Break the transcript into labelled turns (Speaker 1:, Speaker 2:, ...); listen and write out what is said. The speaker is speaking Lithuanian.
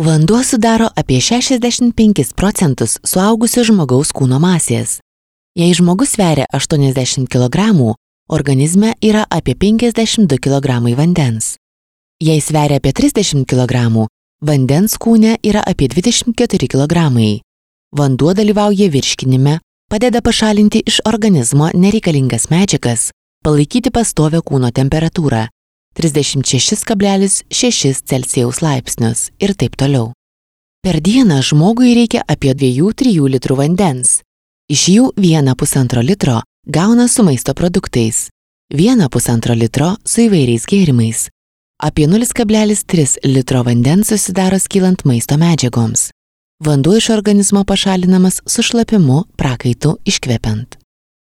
Speaker 1: Vanduo sudaro apie 65% suaugusio žmogaus kūno masės. Jei žmogus sveria 80 kg, organizme yra apie 52 kg vandens. Jei sveria apie 30 kg, vandens kūne yra apie 24 kg. Vanduo dalyvauja virškinime, padeda pašalinti iš organizmo nereikalingas medžiagas, palaikyti pastovią kūno temperatūrą 36,6 Celsijaus laipsnius ir taip toliau. Per dieną žmogui reikia apie 2–3 litrų vandens. Iš jų 1,5 litro gauna su maisto produktais, 1,5 litro su įvairiais gėrimais. Apie 0,3 litro vandens susidaro skylant maisto medžiagoms. Vanduo iš organizmo pašalinamas su šlapimu, prakaitu iškvepiant.